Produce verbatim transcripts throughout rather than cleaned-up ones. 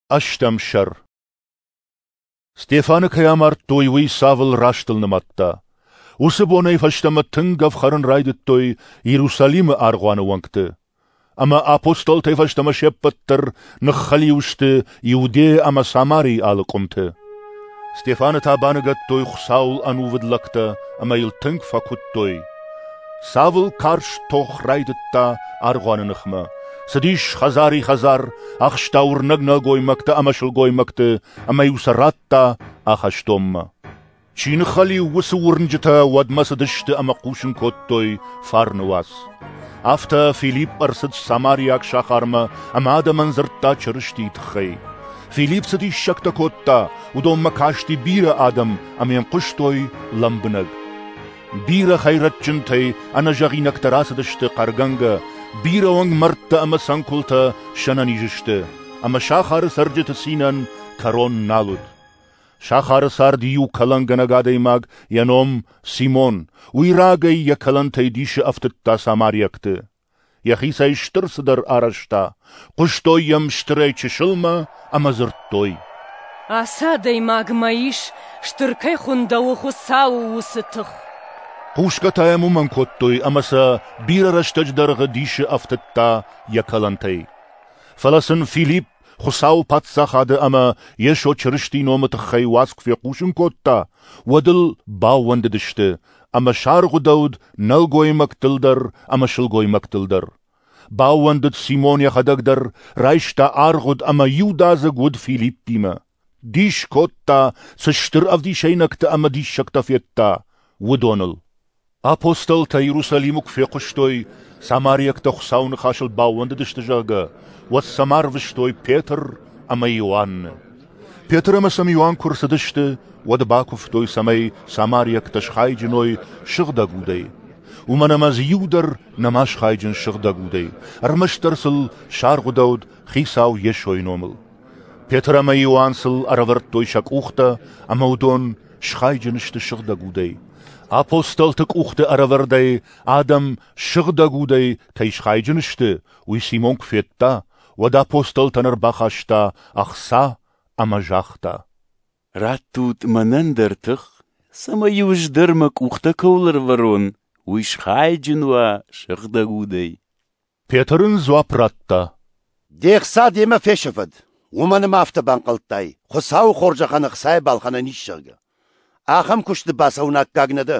Ӕстӕм сӕр. Стефаны кӕй амардтой, уый Савл растыл нымадта. Уыцы бонӕй фӕстӕмӕ тынг ӕфхӕрын райдыдтой Иерусалимы аргъуаны уӕнгты. Ӕмӕ апостолтӕй фӕстӕмӕ се ппӕт дӕр ныххӕлиу сты Иудея ӕмӕ Самарийы алы къуымты. Стефаны та баныгӕдтой Хуыцауыл ӕнувыд лӕгтӕ ӕмӕ йыл тынг фӕкуыдтой. Савл карз тох райдыдта аргъуаны ныхмӕ. Цыдис хӕдзари-хӕдзар, ахста уырнӕг нӕлгоймӕгтӕ ӕмӕ сылгоймӕгты ӕмӕ-иу сӕ радта ахӕстонмӕ. Чи ныххӕлиу, уыцы уырнджытӕ уӕдмӕ цыдысты ӕмӕ хъусын кодтой фарны уац. Афтӕ Филипп ӕрцыд самариаг сахармӕ ӕмӕ адӕмӕн дзырдта Чырыстийы тыххӕй. Филипп цы диссӕгтӕ кодта, уыдонмӕ касти бирӕ адӕм ӕмӕ йӕм хъуыстой лӕмбынӕг. Бирӕ хӕйрӕджджынтӕй ӕнӕзӕгъинӕгтӕ рацыдысты хъӕргӕнгӕ, бирӕ уӕнгмӕрдтӕ ӕмӕ цӕнкуылтӕ сӕнӕниз сты, ӕмӕ сахары цӕрджыты цинӕн кӕрон нал уыд. Сахары царди иу кӕлӕнгӕнӕг адӕймаг, йӕ ном Симон, уый рагӕй йӕ кӕлӕнтӕй дисы ӕфтыдта самариӕгты. Йӕхицӕй стыр цыдӕр арӕзта, хъуыстой йӕм стырӕй чысылмӕ ӕмӕ дзырдтой: Ацы адӕймагмӕ ис, стыр кӕй хуындӕуы Хуыцауы уыцы тых. Хъусгӕ та йӕм уымӕн кодтой, ӕмӕ сӕ бирӕ рӕстӕджы дӕргъы дисы ӕфтыдта йӕ кӕлӕнтӕй. Фӕлӕ сын Филипп Хуыцауы паддзахады ӕмӕ Йесо Чырыстийы номы тыххӕй уац куы фехъусын кодта, уӕд ыл баууӕндыдысты, ӕмӕ саргъуыдӕуыд нӕлгоймӕгтыл дӕр ӕмӕ сылгоймӕгтыл дӕр. Баууӕндыд Симон йӕхӕдӕг дӕр, райста аргъуыд ӕмӕ иудадзыг уыд Филиппимӕ. Дис кодта, цы стыр ӕвдисӕйнӕгтӕ ӕмӕ диссӕгтӕ федта, уыдоныл. Апостолтӕ Иерусалимы куы фехъуыстой, самариӕгтӕ Хуыцауы ныхасыл баууӕндыдысты, зӕгъгӕ, уӕд сӕм арвыстой Петр ӕмӕ Иоанны. Петр ӕмӕ сӕм Иоанн куы рцыдысты, уӕд бакуывтой, цӕмӕй самариӕгтӕ схайджын уой Сыгъдӕг Удӕй. Уымӕн ӕмӕ дзы иу дӕр нӕма схайджын Сыгъдӕг Удӕй, ӕрмӕстдӕр сыл саргъуыдӕуыд Хицау Йесойы номыл. Петр ӕмӕ Иоанн сыл ӕрӕвӕрдтой сӕ къухтӕ, ӕмӕ уыдон схайджын сты Сыгъдӕг Удӕй. Апостолты къухты ӕрӕвӕрдӕй адӕм Сыгъдӕг Удӕй кӕй схайджын сты, уый Симон куы федта, уӕд апостолтӕн ӕрбахаста ӕхца ӕмӕ загъта: Раттут мӕнӕн дӕр тых, цӕмӕй-иу ӕз дӕр мӕ къухтӕ кӕуыл ӕрӕвӕрон, уый схайджын уа Сыгъдӕг Удӕй. Петр ын дзуапп радта: Де хца демӕ фесӕфӕд, уымӕн ӕмӕ афтӕ банхъӕлдтай, Хуыцауы хорзӕхӕн ӕхцайӕ балхӕнӕн ис, зӕгъгӕ. Ахӕм куысты бацӕуын аккаг нӕ дӕ,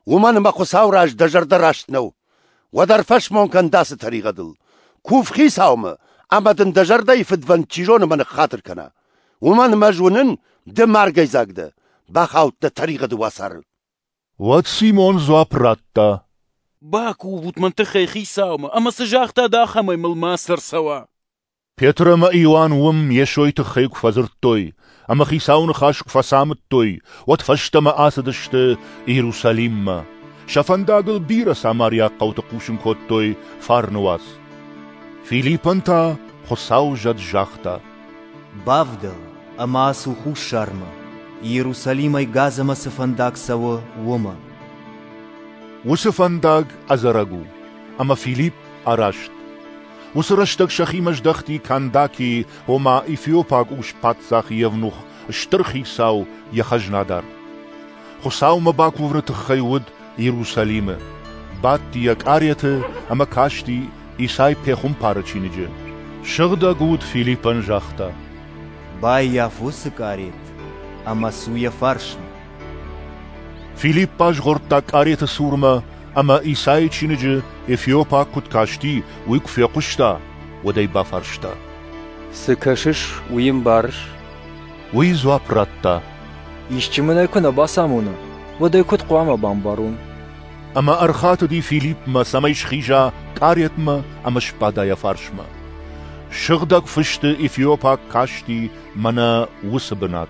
уымӕн ӕмӕ Хуыцауы раз дӕ зӕрдӕ раст нӕу. Уӕд ӕрфӕсмон кӕн дӕ ацы тӕригъӕдыл. Кув Хицаумӕ, ӕмӕ дын дӕ зӕрдӕйы фыдвӕнд чи зоны мӕ ныххатыр кӕна. Уымӕн ӕмӕ ӕз уынын, ды маргӕйдзаг дӕ, бахаудтӕ тӕригъӕды уацары. Уӕд Симон дзуапп радта: Бакувут мӕн тыххӕй Хицаумӕ, ӕмӕ цы загътат, ахӕмӕй мыл мацы ӕрцӕуа. Петр ӕмӕ Иоанн уым Йесойы тыххӕй куы фӕдзырдтой ӕмӕ Хицауы ныхас куы фӕцамыдтой, уӕд фӕстӕмӕ ацыдысты Иерусалиммӕ. Сӕ фӕндагыл бирӕ самариаг хъӕуты хъусын кодтой фарны уац. Филиппӕн та Хуыцауы зӕд загъта: Бавдӕл ӕмӕ ацу хуссармӕ, Иерусалимӕй Газӕмӕ цы фӕндаг цӕуы, уымӕ. Уыцы фӕндаг ӕдзӕрӕг у, ӕмӕ Филипп араст. Уыцы рӕстӕг сӕхимӕ здӕхти Кандаки, ома эфиопаг ус-паддзах евнух, стыр хицау, йӕ хӕзнадар. Хуыцаумӕ бакувыны тыххӕй уыд Иерусалимы. Бадти йӕ къареты ӕмӕ касти Исай пехуымпары чиныджы. Сыгъдӕг Уд Филиппӕн загъта: Баййаф уыцы къарет ӕмӕ цу йӕ фарсмӕ. Филипп базгъордта къареты цурмӕ ӕмӕ Исайы чиныджы эфиопаг куыд касти, уый куы фехъуыста, уӕд ӕй бафарста: Цы кӕсыс, уый ӕмбарыс? Уый дзуапп радта: Исчи мын ӕй куы нӕ бацамона, уӕд ӕй куыд хъуамӕ бамбарон? Ӕмӕ ӕрхатыди Филиппмӕ, цӕмӕй схиза къаретмӕ ӕмӕ сбада йӕ фарсмӕ. Сыгъдӕг Фысты эфиопаг касти мӕнӕ уыцы бынат.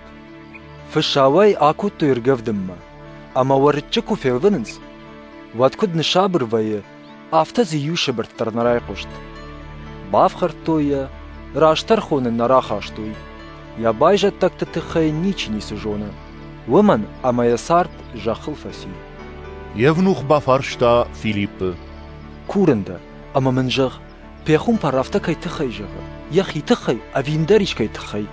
Фысауӕй акодтой ӕргӕвдынмӕ, ӕмӕ уӕрыччы куы фелвынынц, уӕд куыд ныссабыр вӕййы, афтӕ дзы иу сыбыртт дӕр нӕ райхъуыст. Бафхӕрдтой йӕ, раст тӕрхон ын нӕ рахастой. Йӕ байзӕддӕгты тыххӕй ничи ницы зоны, уымӕн ӕмӕ йӕ цард зӕххыл фӕци. Евнух бафарста Филиппы: Курын дӕ, ӕмӕ мын зӕгъ, Пехуымпар афтӕ кӕй тыххӕй зӕгъы, йӕхи тыххӕй ӕви ӕндӕр искӕй тыххӕй?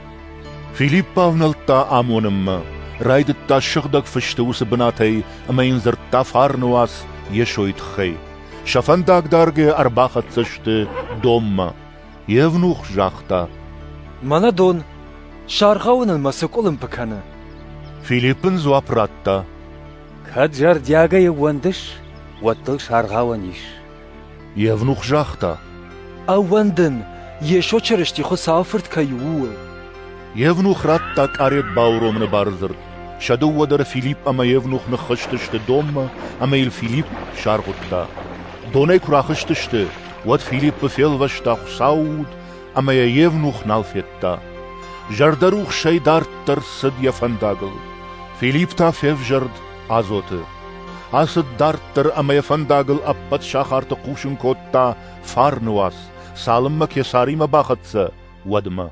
Филипп бавнӕлдта амонынмӕ, райдыдта Сыгъдӕг Фысты уыцы бынатӕй ӕмӕ йын дзырдта фарны уац Йесойы тыххӕй. Сӕ фӕндаг даргӕйӕ ӕрбахӕццӕ сты донмӕ. Евнух загъта: Мӕнӕ дон, саргъауынӕн мӕ цы къуылымпы кӕны? Филипп ын дзуапп радта: Кӕд зӕрдиагӕй ӕууӕндыс, уӕд дыл саргъауӕн ис. Евнух загъта: Ӕууӕндын, Йесо Чырысти Хуыцауы Фырт кӕй у, ууыл. Евнух радта къарет бауромыны бардзырд. Сӕ дыууӕ дӕр Филипп ӕмӕ Евнух ныххызтысты донмӕ, ӕмӕ йыл Филипп саргъуыдта. Донӕй куы рахызтысты, уӕд Филиппы фелвӕста Хуыцауы уд, ӕмӕ йӕ Евнух нал федта. Зӕрдӕрухсӕй дарддӕр цыд йӕ фӕндагыл. Филипп та февзӕрд Азоты. Ацыд дарддӕр ӕмӕ йӕ фӕндагыл ӕппӕт сахарты хъусын кодта фарны уац, цалынмӕ Кесаримӕ бахӕццӕ, уӕдмӕ.